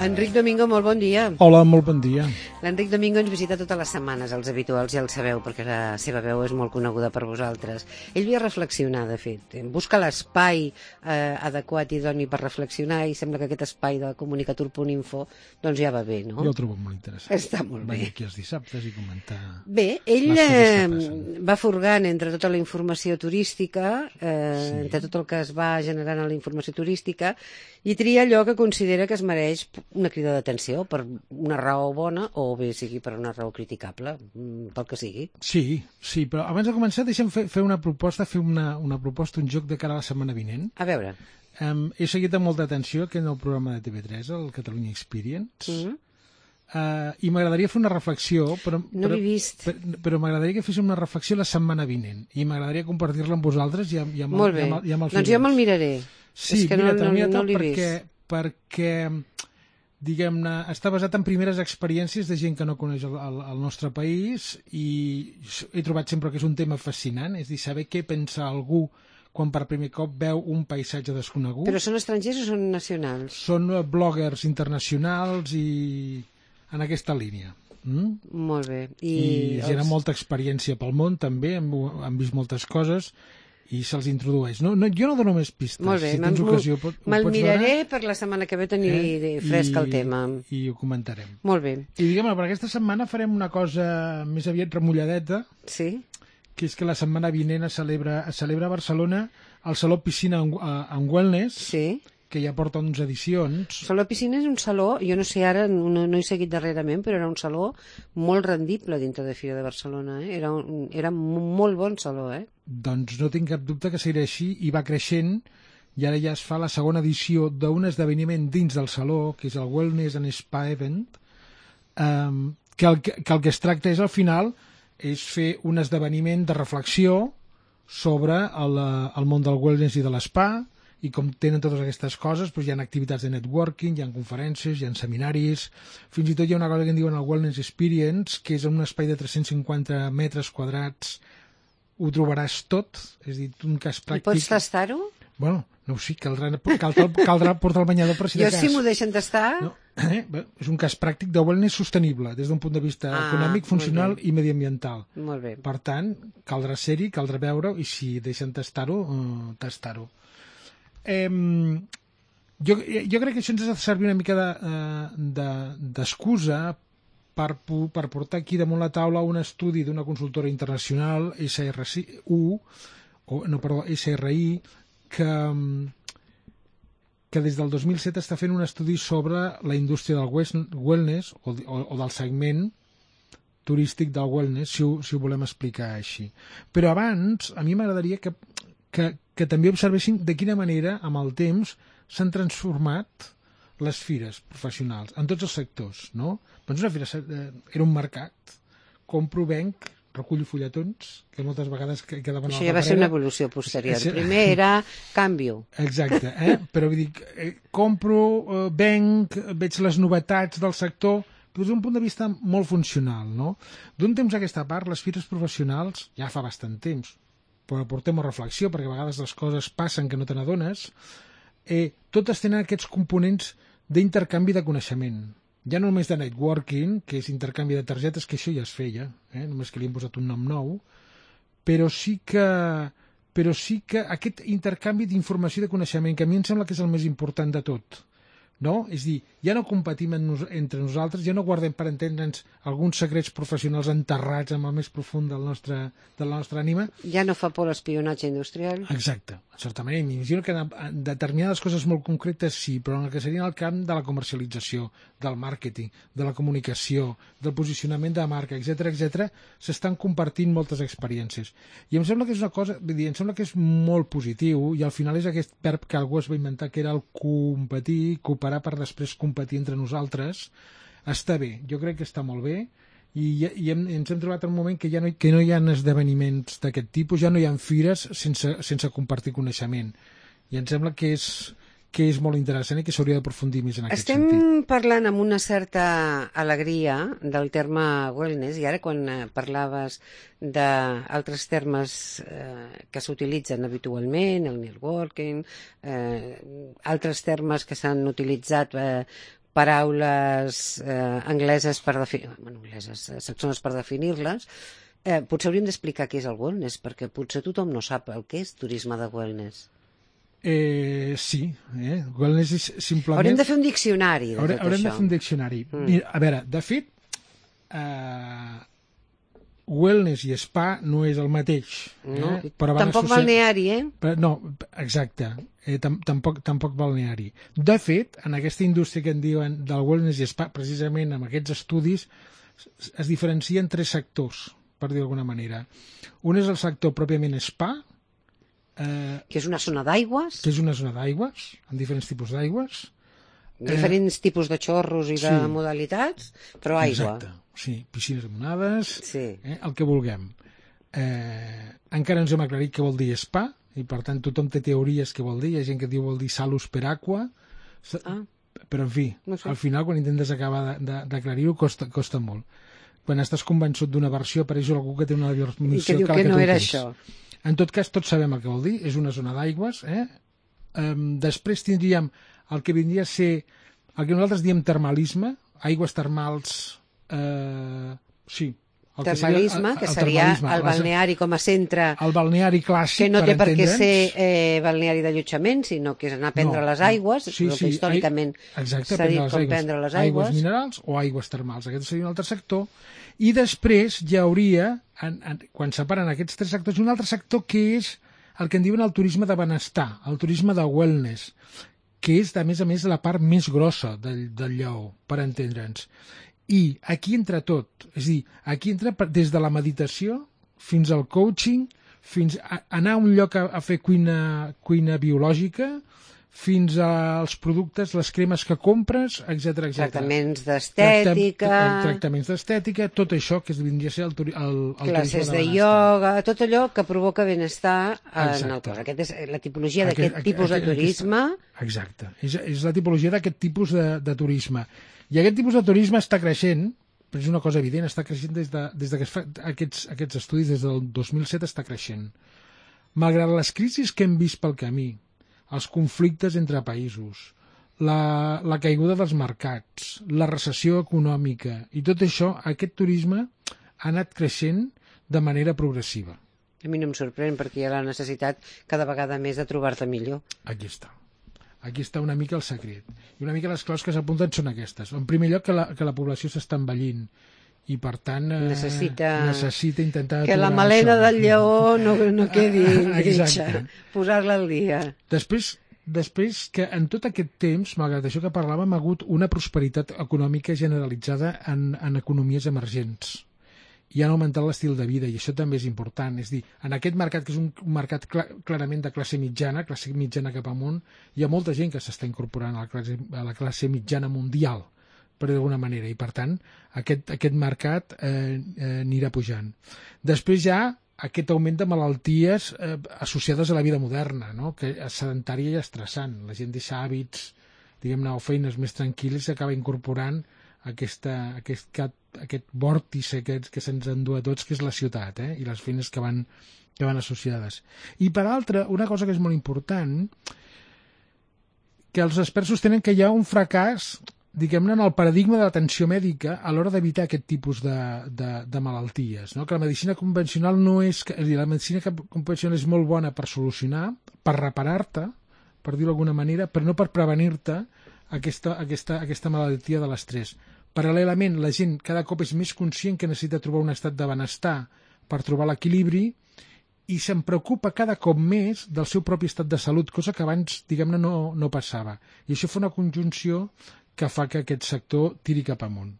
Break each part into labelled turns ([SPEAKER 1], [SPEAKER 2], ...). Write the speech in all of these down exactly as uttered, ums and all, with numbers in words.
[SPEAKER 1] Enric Domingo, molt bon dia.
[SPEAKER 2] Hola, molt bon dia.
[SPEAKER 1] L'Enric Domingo ens visita totes les setmanes, els habituals ja el sabeu, perquè la seva veu és molt coneguda per vosaltres. Ell ve a reflexionar, de fet. Busca l'espai eh, adequat i idoni per reflexionar i sembla que aquest espai de comunicatur punt info doncs ja va bé, no?
[SPEAKER 2] Jo el trobo molt interessant.
[SPEAKER 1] Està molt bé.
[SPEAKER 2] Venir aquí els dissabtes i comentar...
[SPEAKER 1] Bé, ell eh, va furgant entre tota la informació turística, eh, sí. entre tot el que es va generant a la informació turística, i tria allò que considera que es mereix una crida d'atenció per una raó bona o bé sigui per una raó criticable, pel que sigui.
[SPEAKER 2] Sí, sí, però abans de començar deixa'm fer, fer una proposta, fer una, una proposta, un joc de cara a la setmana vinent.
[SPEAKER 1] A veure.
[SPEAKER 2] Um, he seguit amb molta atenció aquest nou programa de T V tres, el Catalunya Experience, mm-hmm. uh, i m'agradaria fer una reflexió, però,
[SPEAKER 1] no l'he vist.
[SPEAKER 2] però, però m'agradaria que féssim una reflexió la setmana vinent, i m'agradaria compartir-la amb vosaltres i amb, i amb,
[SPEAKER 1] Molt bé,
[SPEAKER 2] i amb, i amb el
[SPEAKER 1] doncs jo me'l miraré.
[SPEAKER 2] Sí,
[SPEAKER 1] és que
[SPEAKER 2] mira,
[SPEAKER 1] no, no, no l'he
[SPEAKER 2] perquè,
[SPEAKER 1] vist.
[SPEAKER 2] perquè diguem-ne, està basat en primeres experiències de gent que no coneix el, el, el nostre país i he trobat sempre que és un tema fascinant, és a dir, saber què pensa algú quan per primer cop veu un paisatge desconegut.
[SPEAKER 1] Però són estrangers o són nacionals?
[SPEAKER 2] Són bloggers internacionals i en aquesta línia. Mm?
[SPEAKER 1] Molt bé.
[SPEAKER 2] I, I gent amb molta experiència pel món també, han, han vist moltes coses i se'ls introdueix. No, no, jo no dono més pistes.
[SPEAKER 1] Molt bé,
[SPEAKER 2] si tens ocasió, pot,
[SPEAKER 1] me'l miraré veure? Per la setmana que ve tenir eh? fresc el tema.
[SPEAKER 2] I ho comentarem.
[SPEAKER 1] Molt bé.
[SPEAKER 2] I diguem-ne, per aquesta setmana farem una cosa més aviat remulladeta,
[SPEAKER 1] sí?
[SPEAKER 2] Que és que la setmana vinent es celebra, es celebra a Barcelona el Saló Piscina en, en Wellness,
[SPEAKER 1] sí?
[SPEAKER 2] que ja porta onze edicions.
[SPEAKER 1] Saló Piscina és un saló, jo no sé ara, no, no he seguit darrerament, però era un saló molt rendible dintre de Fira de Barcelona, eh? Era un era un molt bon saló, eh?
[SPEAKER 2] Doncs no tinc cap dubte que seguirà així i va creixent i ara ja es fa la segona edició d'un esdeveniment dins del saló, que és el Wellness and Spa Event, um, que, el, que el que es tracta és al final és fer un esdeveniment de reflexió sobre el, el món del wellness i de l'espa, i com tenen totes aquestes coses, doncs hi ha activitats de networking, hi ha conferències, hi ha seminaris, fins i tot hi ha una cosa que en diuen el Wellness Experience, que és en un espai de tres-cents cinquanta metres quadrats, ho trobaràs tot, és a dir, un cas pràctic...
[SPEAKER 1] I pots tastar-ho?
[SPEAKER 2] Bueno, no ho sé, caldrà, caldrà, caldrà portar el banyador per si de
[SPEAKER 1] jo
[SPEAKER 2] cas.
[SPEAKER 1] sí m'ho deixen tastar.
[SPEAKER 2] No, eh? És un cas pràctic de wellness sostenible, des d'un punt de vista ah, econòmic, funcional i mediambiental.
[SPEAKER 1] Molt bé.
[SPEAKER 2] Per tant, caldrà ser-hi, caldrà veure-ho, i si deixen tastar-ho, uh, tastar-ho. Eh, jo, jo crec que això ens ha de servir una mica d'excusa de, de, per, per portar aquí damunt la taula un estudi d'una consultora internacional, S R U, o, no, perdó, S R I, que, que des del dos mil set està fent un estudi sobre la indústria del wellness o, o, o del segment turístic del wellness, si ho, si ho volem explicar així. Però abans, a mi m'agradaria que Que, que també observessin de quina manera, amb el temps, s'han transformat les fires professionals, en tots els sectors, no? Doncs una fira era un mercat, compro, venc, recullo fulletons, que moltes vegades quedaven a la paperera.
[SPEAKER 1] Això ja va ser una evolució posterior. Primer era canvio.
[SPEAKER 2] Exacte, eh? Però vull dir, eh, compro, eh, venc, veig les novetats del sector, però des d'un punt de vista molt funcional, no? D'un temps a aquesta part, les fires professionals, ja fa bastant temps, però portem a reflexió, perquè a vegades les coses passen que no te n'adones, eh, totes tenen aquests components d'intercanvi de coneixement. Ja no només de networking, que és intercanvi de targetes, que això ja es feia, eh, només que li hem posat un nom nou, però sí que, però sí que aquest intercanvi d'informació i de coneixement, que a mi em sembla que és el més important de tot, no? És dir, ja no competim en nos, entre nosaltres, ja no guardem per entendre'ns alguns secrets professionals enterrats en el més profund del nostre, de la nostra ànima.
[SPEAKER 1] Ja no fa por l'espionatge industrial.
[SPEAKER 2] Exacte, en certa manera. M'imagino que en determinades coses molt concretes sí, però en el que seria el camp de la comercialització, del màrqueting, de la comunicació, del posicionament de marca, etcètera, etcètera, s'estan compartint moltes experiències. I em sembla que és una cosa, vull dir, em sembla que és molt positiu i al final és aquest verb que algú es va inventar, que era el competir, cooperar per després competir entre nosaltres. Està bé, jo crec que està molt bé i, i hem, ens hem trobat en un moment que ja no, que no hi ha esdeveniments d'aquest tipus, ja no hi ha fires sense, sense compartir coneixement i em sembla que és, que és molt interessant i que s'hauria d'aprofundir més en aquest
[SPEAKER 1] Estem
[SPEAKER 2] sentit.
[SPEAKER 1] Estem parlant amb una certa alegria del terme wellness i ara quan parlaves d'altres termes eh, que s'utilitzen habitualment, el networking, eh, altres termes que s'han utilitzat eh, paraules eh, angleses per definir, bueno, angleses, eh, saxones per definir-les, eh, potser hauríem d'explicar què és el wellness, perquè potser tothom no sap el que és turisme de wellness.
[SPEAKER 2] Eh, sí, eh? Wellness és simplement...
[SPEAKER 1] Haurem de fer un diccionari de
[SPEAKER 2] Haurem,
[SPEAKER 1] tot
[SPEAKER 2] haurem
[SPEAKER 1] això.
[SPEAKER 2] de fer un diccionari.
[SPEAKER 1] Mm.
[SPEAKER 2] Mira, a veure, de fet, eh, wellness i spa no és el mateix.
[SPEAKER 1] No,
[SPEAKER 2] Eh? Però van
[SPEAKER 1] tampoc
[SPEAKER 2] associar-
[SPEAKER 1] balneari, eh?
[SPEAKER 2] Però, no, exacte, eh, tam tampoc, tampoc balneari. De fet, en aquesta indústria que en diuen del wellness i spa, precisament amb aquests estudis, es, es diferencien tres sectors, per dir d'alguna manera. Un és el sector pròpiament spa, eh,
[SPEAKER 1] Que és una zona d'aigües,
[SPEAKER 2] que és una zona d'aigües, amb diferents tipus d'aigües.
[SPEAKER 1] diferents tipus de xorros i de
[SPEAKER 2] sí.
[SPEAKER 1] modalitats, però aigua.
[SPEAKER 2] Exacte, sí, piscines amunades,
[SPEAKER 1] Sí.
[SPEAKER 2] eh, el que vulguem. Eh, encara ens hem aclarit què vol dir spa, i per tant tothom té teories què vol dir, hi ha gent que diu vol dir salus per aqua,
[SPEAKER 1] Ah.
[SPEAKER 2] però en fi,
[SPEAKER 1] No sé.
[SPEAKER 2] al final quan intentes acabar d'aclarir-ho costa, costa molt. Quan estàs convençut d'una versió apareix algú que té una
[SPEAKER 1] I
[SPEAKER 2] versió
[SPEAKER 1] que diu
[SPEAKER 2] la
[SPEAKER 1] que no
[SPEAKER 2] tu
[SPEAKER 1] era
[SPEAKER 2] tens.
[SPEAKER 1] això.
[SPEAKER 2] En tot cas, tots sabem el que vol dir, és una zona d'aigües. Eh? Um, després tindríem el que vindria a ser el que nosaltres diem termalisme, aigües termals, eh, sí. El
[SPEAKER 1] Termalisme, que seria
[SPEAKER 2] termalisme,
[SPEAKER 1] el
[SPEAKER 2] les-
[SPEAKER 1] balneari com a centre,
[SPEAKER 2] el balneari clàssic,
[SPEAKER 1] que no té per què
[SPEAKER 2] entendre'ns.
[SPEAKER 1] ser eh, balneari d'allotjament, sinó que és anar a prendre
[SPEAKER 2] No,
[SPEAKER 1] les
[SPEAKER 2] no.
[SPEAKER 1] aigües,
[SPEAKER 2] Sí,
[SPEAKER 1] el que
[SPEAKER 2] sí,
[SPEAKER 1] històricament
[SPEAKER 2] ai- exacte,
[SPEAKER 1] s'ha dit
[SPEAKER 2] prendre les
[SPEAKER 1] com
[SPEAKER 2] aigües.
[SPEAKER 1] prendre les
[SPEAKER 2] Aigües
[SPEAKER 1] aigües.
[SPEAKER 2] minerals o aigües termals. Aquest seria un altre sector. I després hi hauria, en, en, quan separen aquests tres sectors, un altre sector que és el que en diuen el turisme de benestar, el turisme de wellness, que és, a més a més, la part més grossa del, del lleó, per entendre'ns. I aquí entra tot, és a dir, aquí entra per- des de la meditació fins al coaching, fins a anar a un lloc a, a fer cuina, cuina biològica, fins als productes, les cremes que compres, etcètera, etcètera.
[SPEAKER 1] Tractaments d'estètica,
[SPEAKER 2] Tracta- Tractaments d'estètica, tot això que es vindria a ser el, turi- el, el
[SPEAKER 1] classes
[SPEAKER 2] turisme
[SPEAKER 1] de
[SPEAKER 2] benestar.
[SPEAKER 1] ioga, tot allò que provoca benestar en el
[SPEAKER 2] Exacte.
[SPEAKER 1] cos. Aquesta és la tipologia
[SPEAKER 2] Aquest-
[SPEAKER 1] d'aquest
[SPEAKER 2] aquest-
[SPEAKER 1] tipus de
[SPEAKER 2] aquest-
[SPEAKER 1] turisme.
[SPEAKER 2] Exacte. És, és la tipologia d'aquest tipus de, de turisme. I aquest tipus de turisme està creixent, però és una cosa evident, està creixent des de, des de que es fa aquests, aquests estudis, des del dos mil set està creixent. Malgrat les crisis que hem vist pel camí, els conflictes entre països, la, la caiguda dels mercats, la recessió econòmica i tot això, aquest turisme ha anat creixent de manera progressiva.
[SPEAKER 1] A mi no em sorprèn perquè hi ha la necessitat cada vegada més de trobar-te millor.
[SPEAKER 2] Aquí està. Aquí està una mica el secret. I una mica les claus que s'apunten són aquestes. En primer lloc, que la, que la població s'està envellint i, per tant, eh,
[SPEAKER 1] Necessita-
[SPEAKER 2] necessita intentar...
[SPEAKER 1] Que la
[SPEAKER 2] aturar
[SPEAKER 1] melena
[SPEAKER 2] això.
[SPEAKER 1] del lleó no, no quedi grinxa.
[SPEAKER 2] Exacte.
[SPEAKER 1] Posar-la al dia.
[SPEAKER 2] Després, després que en tot aquest temps, malgrat això que parlàvem, ha hagut una prosperitat econòmica generalitzada en, en economies emergents i han augmentat l'estil de vida, i això també és important. És dir, en aquest mercat, que és un mercat cl clarament de classe mitjana, classe mitjana cap amunt, hi ha molta gent que s'està incorporant a la classe, a la classe mitjana mundial, per d'alguna manera, i per tant aquest, aquest mercat eh, eh, anirà pujant. Després hi ha aquest augment de malalties eh, associades a la vida moderna, no? Que és sedentària i estressant. La gent deixa hàbits, diguem-ne, o feines més tranquil·les i s'acaba incorporant aquesta, aquest, aquest vòrtice que, que se'ns endú a tots, que és la ciutat, eh? I les feines que van, que van associades. I per altra, una cosa que és molt important, que els experts sostenen que hi ha un fracàs, diguem-ne, en el paradigma de l'atenció mèdica a l'hora d'evitar aquest tipus de, de, de malalties, no? Que la medicina convencional no és... És a dir, la medicina convencional és molt bona per solucionar, per reparar-te, per dir-ho d'alguna manera, però no per prevenir-te aquesta, aquesta, aquesta malaltia de l'estrès. Paral·lelament, la gent cada cop és més conscient que necessita trobar un estat de benestar per trobar l'equilibri i se'n preocupa cada cop més del seu propi estat de salut, cosa que abans, diguem-ne, no, no passava. I això fa una conjunció que fa que aquest sector tiri cap amunt.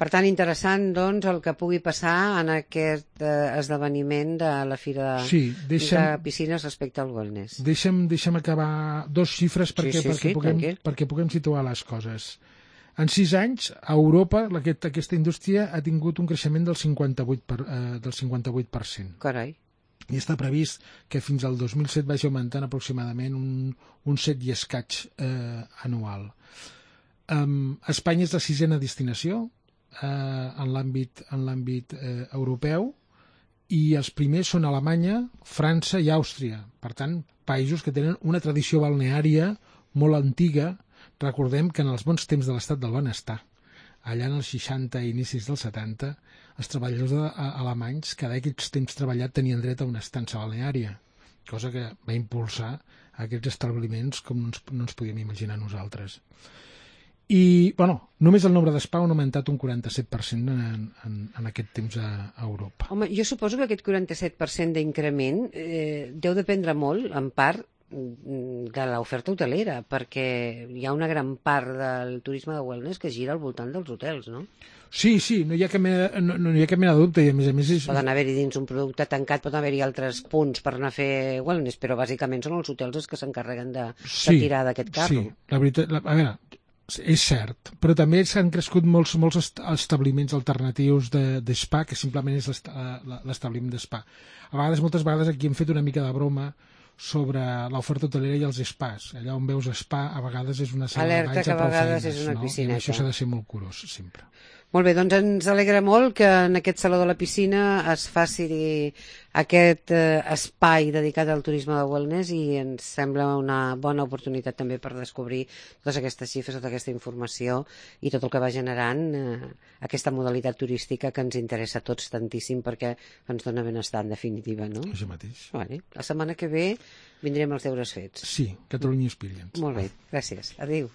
[SPEAKER 1] Per tant, interessant, doncs, el que pugui passar en aquest eh, esdeveniment de la Fira de,
[SPEAKER 2] Sí, deixa'm-
[SPEAKER 1] de Piscines respecte al wellness.
[SPEAKER 2] Deixa'm, deixa'm acabar dos xifres perquè,
[SPEAKER 1] sí,
[SPEAKER 2] perquè,
[SPEAKER 1] sí,
[SPEAKER 2] puguem,
[SPEAKER 1] tranquil.
[SPEAKER 2] perquè puguem situar les coses. En sis anys, a Europa, aquest, aquesta indústria ha tingut un creixement del cinquanta-vuit per, eh, del cinquanta-vuit per cent.
[SPEAKER 1] Carai.
[SPEAKER 2] I està previst que fins al dos mil set vagi augmentant aproximadament un, un set i escaig eh, anual. Um, Espanya és la sisena destinació eh, en l'àmbit en l'àmbit eh, europeu, i els primers són Alemanya, França i Àustria. Per tant, països que tenen una tradició balneària molt antiga. Recordem que en els bons temps de l'estat del benestar, allà en els seixanta i inicis dels setanta, els treballadors de, a, alemanys, cada aquests temps treballat, tenien dret a una estança balneària, cosa que va impulsar aquests establiments com no ens, no ens podíem imaginar nosaltres. I, bueno, només el nombre d'espa ha augmentat un quaranta-set per cent en, en, en aquest temps a, a Europa.
[SPEAKER 1] Home, jo suposo que aquest quaranta-set per cent d'increment eh, deu dependre molt, en part, de l'oferta hotelera, perquè hi ha una gran part del turisme de wellness que gira al voltant dels hotels, no?
[SPEAKER 2] Sí, sí, no hi ha cap mena, no, no hi ha cap mena de dubte, i a més a més... És...
[SPEAKER 1] Poden haver-hi dins un producte tancat, poden haver-hi altres punts per anar a fer wellness, però bàsicament són els hotels els que s'encarreguen de,
[SPEAKER 2] sí,
[SPEAKER 1] de tirar d'aquest carro.
[SPEAKER 2] Sí, la veritat... La, a veure, és cert, però també s'han crescut molts, molts establiments alternatius d'espa, de, que simplement és l'establiment d'espa. A vegades, moltes vegades, aquí hem fet una mica de broma sobre l'oferta hotelera i els spas. Allà on veus spa, a vegades és una sala
[SPEAKER 1] Alerta
[SPEAKER 2] de banys
[SPEAKER 1] que
[SPEAKER 2] a prou
[SPEAKER 1] a vegades
[SPEAKER 2] feines,
[SPEAKER 1] és una
[SPEAKER 2] no?
[SPEAKER 1] piscineta.
[SPEAKER 2] I això s'ha de ser molt curós, sempre.
[SPEAKER 1] Molt bé, doncs ens alegra molt que en aquest Saló de la Piscina es faci aquest eh, espai dedicat al turisme de wellness, i ens sembla una bona oportunitat també per descobrir totes aquestes xifres, tota aquesta informació i tot el que va generant eh, aquesta modalitat turística que ens interessa a tots tantíssim, perquè ens dona benestar en definitiva, no?
[SPEAKER 2] Això mateix.
[SPEAKER 1] Vale. La setmana que ve vindrem els deures fets.
[SPEAKER 2] Sí, Catalunya Experience.
[SPEAKER 1] Molt bé, gràcies. Adéu.